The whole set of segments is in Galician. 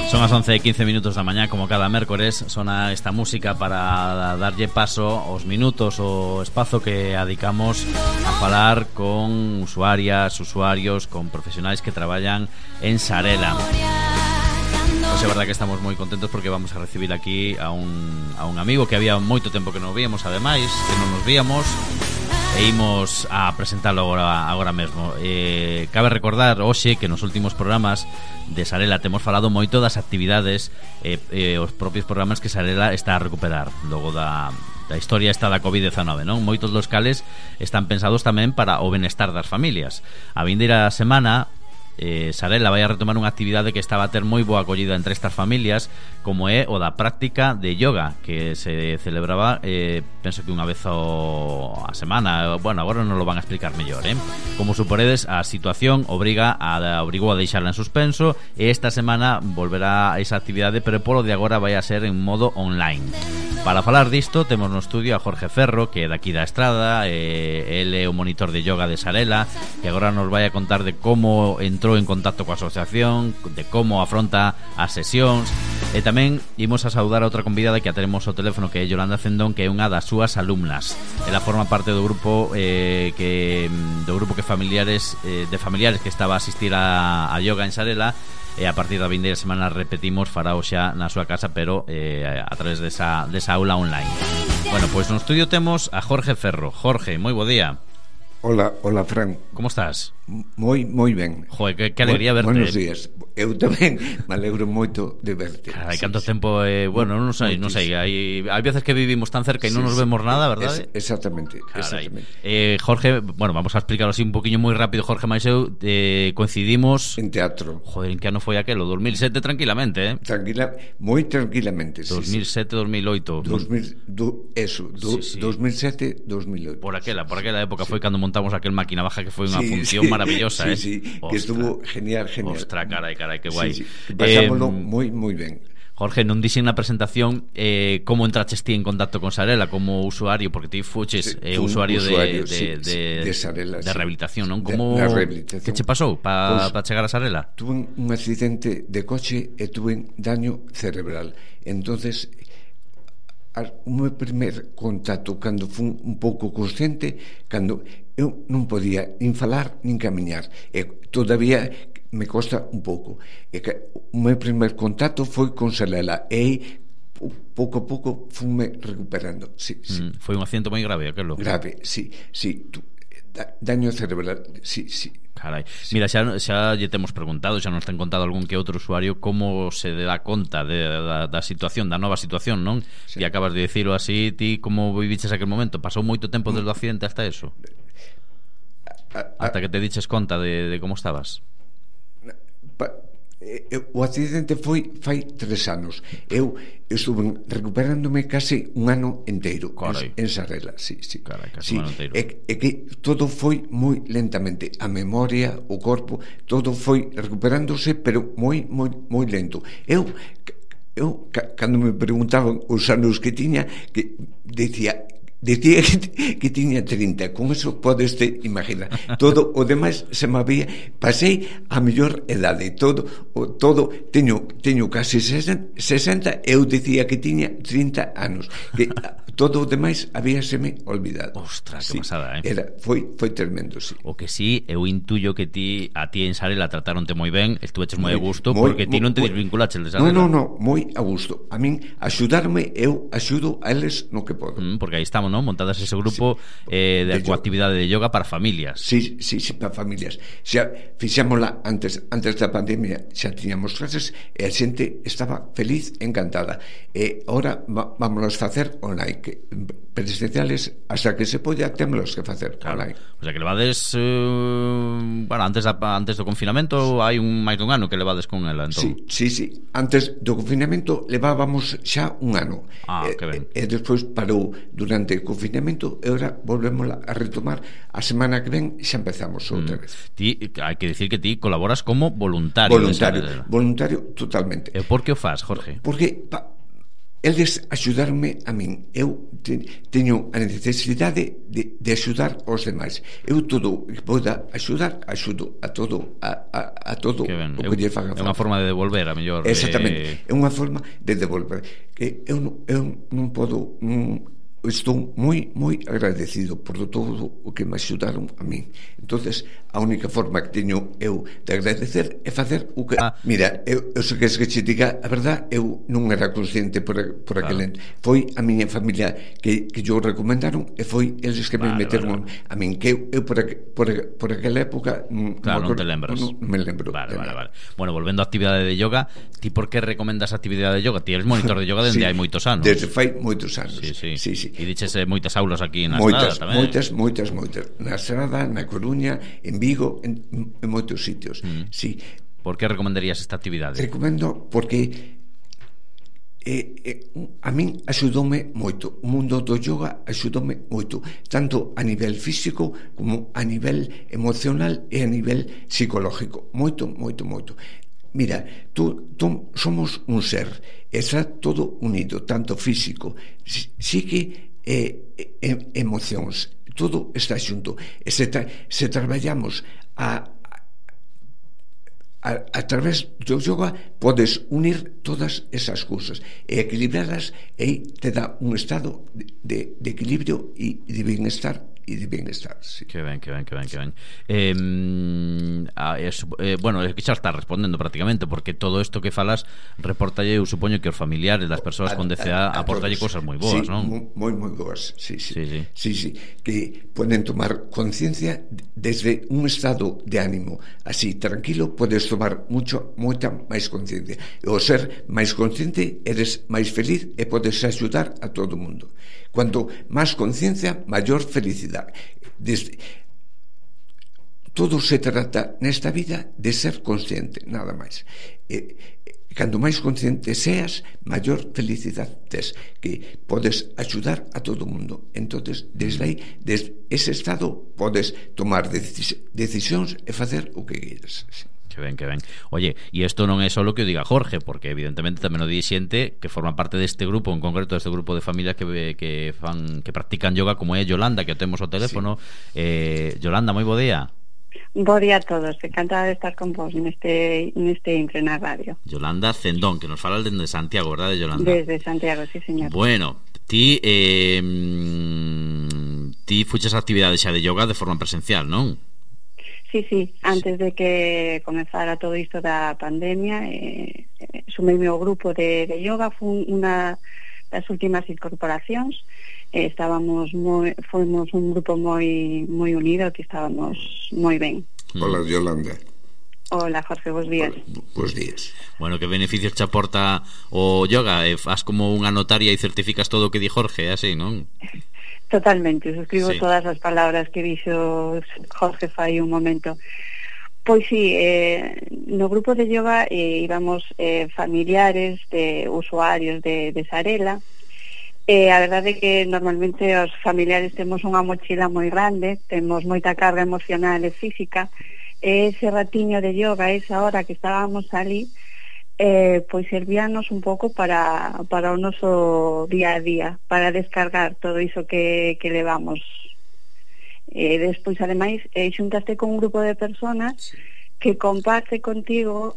Son as 11:15 da mañá, como cada mércores. Sona esta música para darlle paso aos minutos, o espazo que adicamos a falar con usuarias, usuarios, con profesionais que traballan en Sarela. Pois é verdad que estamos moi contentos porque vamos a recibir aquí a un amigo que había moito tempo que non víamos, ademais, que non nos víamos, e imos a presentalo agora mesmo. Cabe recordar hoxe que nos últimos programas de Sarela temos falado moito das actividades os propios programas que Sarela está a recuperar logo da historia esta da COVID-19, non? Moitos dos cales están pensados tamén para o benestar das familias. A vindeira semana Sarela vai a retomar unha actividade que estaba a ter moi boa acollida entre estas familias, como é o da práctica de yoga, que se celebraba penso que unha vez a semana. Bueno, agora non lo van a explicar mellor, Como suporedes, a situación obrigou a deixarla en suspenso, e esta semana volverá a esa actividade, pero polo de agora vai a ser en modo online. Para falar disto temos no estudio a Jorge Ferro, que é daqui da Estrada, ele é o monitor de yoga de Sarela, que agora nos vai a contar de como entrou en contacto coa asociación, de como afronta as sesións, e tamén imos a saudar a outra convidada que a teremos ao teléfono, que é Yolanda Cendón, que é unha das súas alumnas. Ela forma parte do grupo que familiares que estaba a asistir a yoga en Sarela, e a partir da vindeira semana repetimos, farao xa na súa casa, pero a través desa aula online. Bueno, pois no estudio temos a Jorge Ferro. Jorge, moi bo día. Hola, Fran. Como estás? Moi ben. Joder, que alegría verte. Buenos días. Eu tamén me alegro moito de verte. Carai, canto tempo, bueno, non sei, hai veces que vivimos tan cerca e non nos vemos nada, verdade? Exactamente. Jorge, bueno, vamos a explicarlo así un poquinho moi rápido. Jorge mais eu coincidimos en teatro. Joder, en que ano foi aquelo? 2007 tranquilamente, moi tranquilamente. 2007, 2008. 2007, 2008. Por aquela época foi cando montamos aquel máquina baja, que foi unha función maravillosa, Sí, que estuvo genial. Ostras, carai, que guai. Pasámoslo moi ben. Jorge, non dixen na presentación como entraches ti en contacto con Sarela como usuario, porque ti fuches usuario de Sarela, de rehabilitación, non? Como que che pasou para chegar a Sarela? Tuve un accidente de coche e tuve daño cerebral. Entonces, o meu primer contacto, cando fui un pouco consciente, cando eu non podía nin falar nin camiñar, e todavía me costa un pouco, e que o meu primer contacto foi con Sarela, e pouco a pouco fume recuperando. Foi un accidente moi grave aquelo? Grave, sí, daño cerebral, sí. Carai, mira, xa lle temos preguntado, xa nos ten contado algún que outro usuario como se dá conta da situación, da nova situación, non? Sí. E acabas de dicilo así, ti como viviches aquel momento? Pasou moito tempo desde o accidente hasta eso? Hasta que te diches conta de como estabas? O accidente foi fai 3 anos. Eu estuve recuperándome case un ano inteiro en Sarela. Sí. Carai, casi un ano inteiro. É que todo foi moi lentamente. A memoria, o corpo, todo foi recuperándose, pero moi lento. Eu cando me preguntaban os anos que tiña, que decía que tiña 30. Con eso podes te imaginar. Todo o demais se me había, pasei a mellor edade. Todo teño casi 60. Eu dicía que tiña 30 anos, que todo o demais habíaseme olvidado. Ostras, que pasada, Foi tremendo, sí. O que sí, eu intuyo que a ti en Sarela trataronte moi ben, estuveches moi a gusto, porque ti non te desvinculaches de Sarela. Non, moi a gusto. A min axudarme, eu axudo a eles no que podo. Porque aí estamos, non? Montadas ese grupo de actividade de yoga para familias. Sí, para familias. Xa fixámosla antes da pandemia, xa tiñamos clases e a xente estaba feliz, encantada. E agora vámonos facer online, que presenciales hasta que se polla témolos que facer online. O sea que levades antes do confinamento hai máis dun ano que levades con ela, entón. Sí. Antes do confinamento levábamos xa un ano. Que ben. E despois parou durante o confinamento e agora volvemos a retomar. A semana que ven xa empezamos outra vez. Hai que decir que ti colaboras como voluntario. Voluntario totalmente. E por que o faz, Jorge? Porque eles axudarme a min. Eu teño a necesidade de axudar aos demais. Eu todo que poda axudar, axudo a todo o que lle faga falta. É unha forma de devolver, a mellor. Exactamente, é unha forma de devolver. Que eu non podo... estou moi agradecido por todo o que me axudaron a min. Entonces, a única forma que teño eu de agradecer é facer o que... Mira, eu sei que che diga a verdad, eu non era consciente por aquel ente. Foi a miña familia que yo recomendaron e foi eles que me meteron a min, que eu por aquela época non te lembras. Non me lembro. Vale. Bueno, volvendo á actividade de yoga, ti por que recomendas a actividade de yoga? Ti eres monitor de yoga dende hai moitos anos. Desde fai moitos anos. Sí. E diches moitas aulas aquí na Estrada tamén. Moitas. Na Estrada, na Coruña, en Vigo, en moitos sitios. Sí. Por que recomendarías esta actividade? Recomendo porque a min axudoume moito. O mundo do yoga axudoume moito, tanto a nivel físico como a nivel emocional e a nivel psicológico. Moito. Mira, tú somos un ser, está todo unido, tanto físico, psique e emocións, todo está xunto. Se traballamos a través do yoga, podes unir todas esas cousas e equilibrarlas, e te dá un estado de equilibrio e de bienestar sí. Que ben. Bueno, é que xa está respondendo prácticamente, porque todo isto que falas reportalle, eu supoño que os familiares das persoas con DCA aportalle cousas moi boas, sí, non? Moi boas, sí. Que poden tomar conciencia desde un estado de ánimo así, tranquilo, podes tomar moita máis conciencia, e ao ser máis consciente eres máis feliz e podes axudar a todo o mundo. Cuanto máis conciencia, maior felicidade. Todo se trata nesta vida de ser consciente, nada máis. Cando máis consciente seas, maior felicidade tes, que podes axudar a todo o mundo. Entonces, desde aí, desde ese estado, podes tomar decisións e facer o que queres. Que ben. Oye, e isto non é só o que o diga Jorge, porque evidentemente tamén o di xente que forma parte deste grupo, en concreto deste grupo de familias que practican yoga, como é Yolanda, que o temos ao teléfono. Yolanda, moi bo día. Bo día a todos, encantada de estar con vos neste Intre na radio. Yolanda Cendón, que nos fala desde Santiago, verdade, Yolanda? Desde Santiago, sí, señor. Bueno, ti fuches a actividade xa de yoga de forma presencial, non? Sí, antes de que comezara todo isto da pandemia, sumei ao grupo de yoga, foi unha das últimas incorporacións. Fomos un grupo moi unido, que estábamos moi ben. Hola, Yolanda. Hola, Jorge, bons días. Bons días. Bueno, que beneficios te aporta o yoga? Faz como unha notaria e certificas todo o que di Jorge, así, non? Totalmente, suscribo todas as palabras que dixo Jorge fai un momento. Pois sí, no grupo de yoga íbamos familiares de usuarios de Sarela. A verdade é que normalmente os familiares temos unha mochila moi grande, temos moita carga emocional e física, e ese ratiño de yoga, esa hora que estábamos ali, pois servíanos un pouco para o noso día a día, para descargar todo iso que levamos. Despois, ademais, xuntaste con un grupo de personas que comparte contigo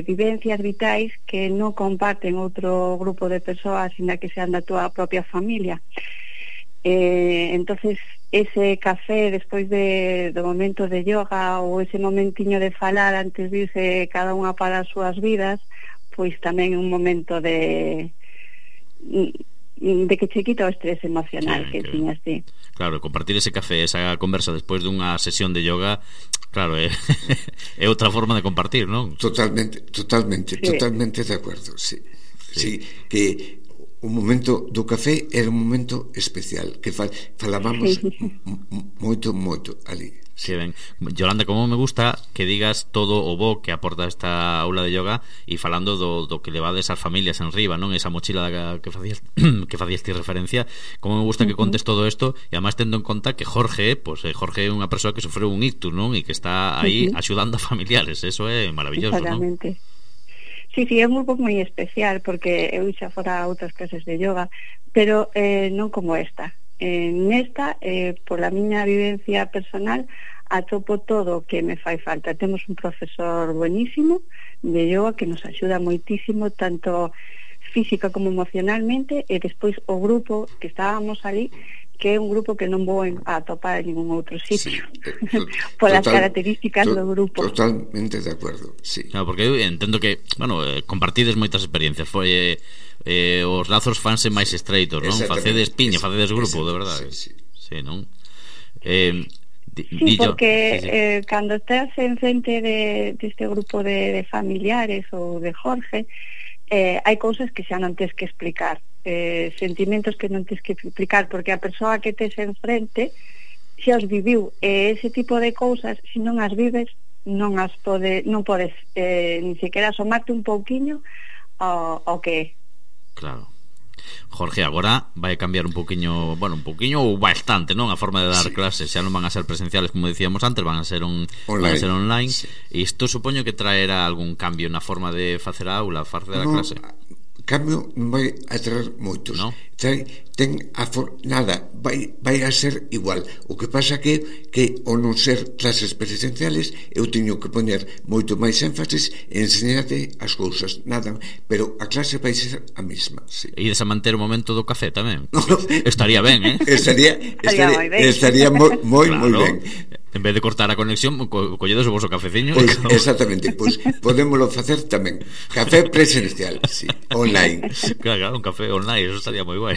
vivencias vitais que non comparten outro grupo de persoas, sina que sean da túa propia familia. Entonces, ese café despois do momento de yoga, ou ese momentiño de falar antes de irse cada unha para as súas vidas, pois tamén un momento de que che quita o estrés emocional que tiñas ti. Claro, compartir ese café, esa conversa despois dunha sesión de yoga, claro, é outra forma de compartir, non? Totalmente de acordo, sí, que o momento do café era un momento especial, que falábamos moito ali. Sí, ben. Yolanda, como me gusta que digas todo o bo que aporta esta aula de yoga, e falando do que levades as familias en riba, non? Esa mochila que facías ti referencia, como me gusta que contes todo isto, e además tendo en conta que Jorge é unha persoa que sofreu un ictus, non? E que está aí axudando a familiares, eso é maravilloso, non? Sí, é un grupo moi especial porque eu xa fora a outras clases de yoga, pero non como esta. Nesta, pola miña vivencia personal, atopo todo o que me fai falta. Temos un profesor buenísimo de yoga que nos axuda moitísimo, tanto física como emocionalmente, e despois o grupo que estábamos ali, que é un grupo que non vou a atopar en ningún outro sitio, polas características do grupo. Totalmente de acordo, sí. Claro, porque eu entendo que, bueno, compartides moitas experiencias, foi os lazos fanse máis estreitos, non? Facedes piña, facedes grupo, de verdade. Sí, non? Sí, porque cando estás en frente deste grupo de familiares ou de Jorge, hai cousas que xa non tens que explicar, sentimentos que non tens que explicar, porque a persoa que tes enfrente xa os viviu, e ese tipo de cousas, se non as vives, non podes ni sequera asomarte un pouquiño ao que é. Claro. Jorge, agora vai cambiar un pouquiño, bueno, un pouquiño ou bastante, non? A forma de dar clases, xa non van a ser presenciales como decíamos antes, van a ser online. Sí. E isto supoño que traerá algún cambio na forma de facer a aula, facer a clase. Cambio non vai a traer moitos, no? Nada, vai a ser igual. O que pasa que ao non ser clases presenciales, eu teño que poñer moito máis énfasis en enseñarte as cousas, nada, pero a clase vai ser a mesma, sí. E ides a manter o momento do café tamén? Estaría ben, Estaría moi ben. En vez de cortar a conexión, colledes o vosso cafeciño. Exactamente, pois podémolo facer tamén. Café presencial, sí, online. Claro, un café online, eso estaría moi guai.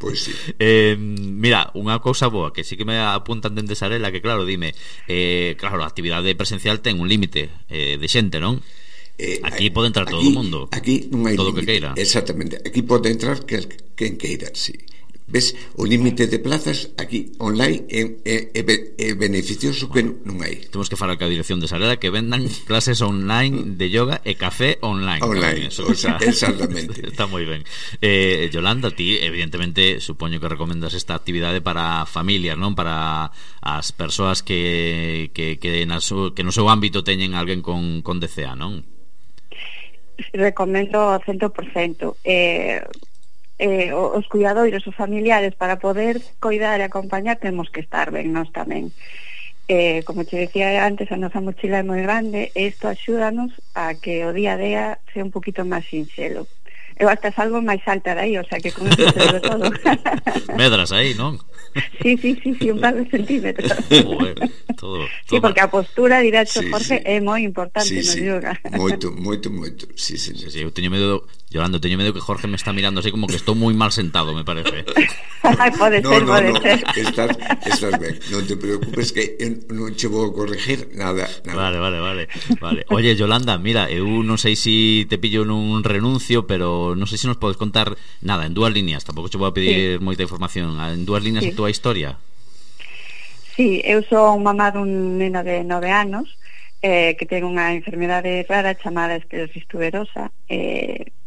Pois sí. Mira, unha cousa boa que sí que me apuntan dende Sarela, que claro, dime, claro, a actividade presencial ten un límite de xente, non? Aquí pode entrar todo o mundo. Aquí non hai todo límite, que queira. Exactamente, aquí pode entrar quen queira, sí. Ves, o límite de plazas aquí online é beneficioso que non hai. Temos que falar ca dirección de Sarela que vendan clases online de yoga e café online. Eso, exactamente. Está moi ben. Yolanda, ti evidentemente supoño que recomendas esta actividade para familias, non? Para as persoas que no seu ámbito teñen alguén con DCA, non? Recomendo 100%. Os cuidadoiros, os familiares, para poder coidar e acompañar temos que estar ben nós tamén. Como te decía antes, a nosa mochila é moi grande e isto axúdanos a que o día a día sea un poquito máis sinxelo. Eu hasta salgo máis alta de aí, o sea que con eso se de todo. Medras aí, non? Sí, un par de centímetros. Todo. Sí, porque a postura, dirá Jorge, é moi importante no yoga. Moito. Sí. Eu teño medo, Yolanda, que Jorge me está mirando así como que estou moi mal sentado, me parece. Pode ser. Estás ben. Non te preocupes que non che vou corregir nada. Vale. Oye, Yolanda, mira, eu non sei se te pillo nun renuncio, pero non sei se nos podes contar nada, en 2 líneas, tampouco che vou a pedir moita información, en 2 líneas a túa historia. Sí, eu sou mamá dun neno de 9 anos que ten unha enfermedade rara chamada esclerosis tuberosa.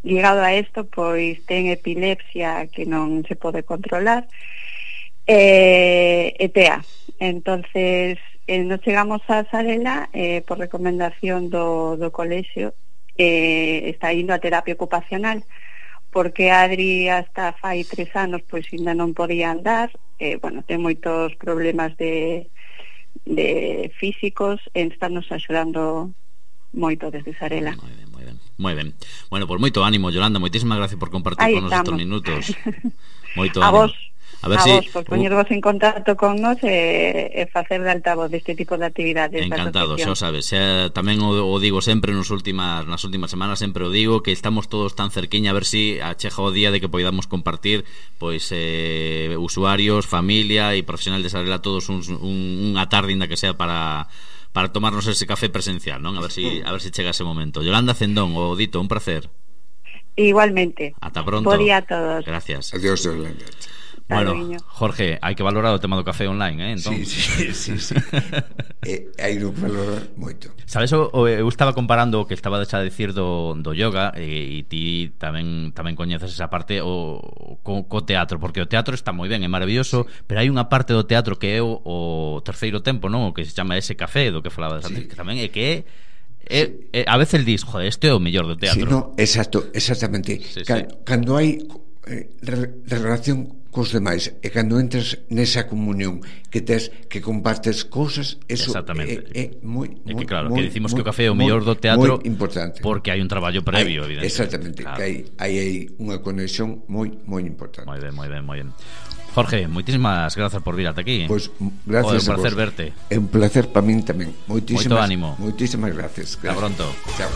Ligado a isto, pois ten epilepsia que non se pode controlar e TEA. Entonces nos chegamos a Sarela por recomendación do colexio, está indo a terapia ocupacional porque Adri hasta fai 3 anos pois ainda non podía andar, ten moitos problemas de físicos e estarnos axudando moito desde Sarela. Moi ben. Bueno, por moito ánimo, Yolanda, moitísimas gracias por compartir con nos estos minutos. Moito ánimo. A vos, por poñervos en contacto con nos e facer de altavoz deste tipo de actividades. Encantado, xa o sabes. Tamén o digo sempre nas últimas semanas, sempre o digo que estamos todos tan cerquiña, a ver si achega o día de que poidamos compartir pois usuarios, familia e profesional de Sarela todos unha tarde ainda que sea para tomarnos ese café presencial, non? A ver si chega ese momento. Yolanda Cendón, o dito, un placer. Igualmente. Ata pronto. Bo día a todos. Gracias. Adiós, Yolanda. Bueno, Jorge, hai que valorar o tema do café online, entón. Sí. Hai que valorar moito. Sabes, eu estaba comparando o que estaba a dicir do yoga e ti tamén coñeces esa parte co teatro, porque o teatro está moi ben, é maravilloso, pero hai unha parte do teatro que é o terceiro tempo, non? O que se chama ese café do que falabas antes, que tamén é que A veces el dis, joder, este é o mellor do teatro. Sí, no, exactamente. Cando hai relación cos demais e cando entras nesa comunión que tes, que compartes cousas, eso é moi que claro, que dicimos que o café é o mellor do teatro importante, porque hai un traballo previo, evidentemente. Exactamente, claro. Que hai unha conexión moi importante. Moi ben. Jorge, moitísimas grazas por vir ata aquí. Pois gracias. É un placer verte. É un placer para min tamén. Moito ánimo. Moitísimas gracias. Hasta pronto. Chao.